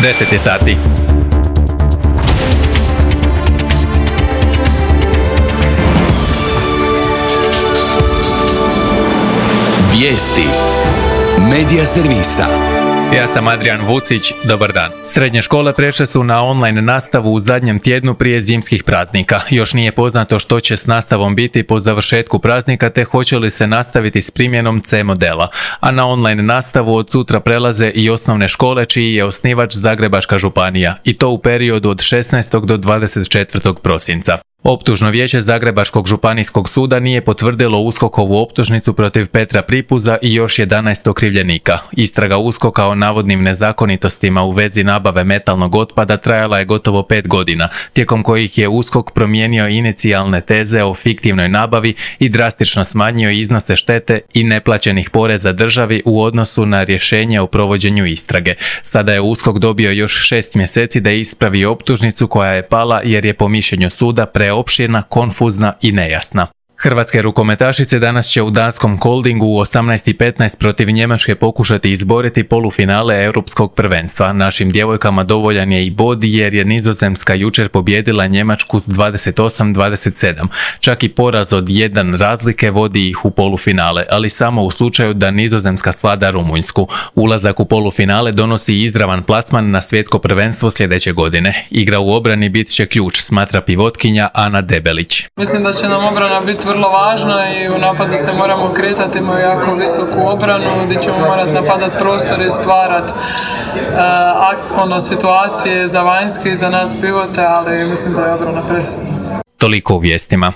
10 je sati. Vijesti Medija servisa. Ja sam Adrian Vucić, dobar dan. Srednje škole prešle su na online nastavu u zadnjem tjednu prije zimskih praznika. Još nije poznato što će s nastavom biti po završetku praznika te hoće li se nastaviti s primjenom C modela. A na online nastavu od sutra prelaze i osnovne škole čiji je osnivač Zagrebačka županija i to u periodu od 16. do 24. prosinca. Optužno vijeće Zagrebačkog županijskog suda nije potvrdilo USKOK-ovu optužnicu protiv Petra Pripuza i još 11 okrivljenika. Istraga USKOK-a o navodnim nezakonitostima u vezi nabave metalnog otpada trajala je gotovo 5 godina, tijekom kojih je USKOK promijenio inicijalne teze o fiktivnoj nabavi i drastično smanjio iznose štete i neplaćenih poreza državi u odnosu na rješenje o provođenju istrage. Sada je USKOK dobio još 6 mjeseci da ispravi optužnicu koja je pala jer je po mišljenju suda preopširna, konfuzna i nejasna. Hrvatske rukometašice danas će u danskom Koldingu u 18:15 protiv Njemačke pokušati izboriti polufinale europskog prvenstva. Našim djevojkama dovoljan je i bod jer je Nizozemska jučer pobijedila Njemačku s 28-27. Čak i poraz od 1 razlike vodi ih u polufinale, ali samo u slučaju da Nizozemska svlada Rumunjsku. Ulazak u polufinale donosi izravan plasman na svjetsko prvenstvo sljedeće godine. Igra u obrani bit će ključ, smatra pivotkinja Ana Debelić. Mislim da će nam obrana biti vrlo važna i u napadu se moramo kretati, imamo jako visoku obranu gdje ćemo morati napadati prostor i stvarati situacije za vanjske i za nas pivote, ali mislim da je obrana presudna. Toliko u vijestima.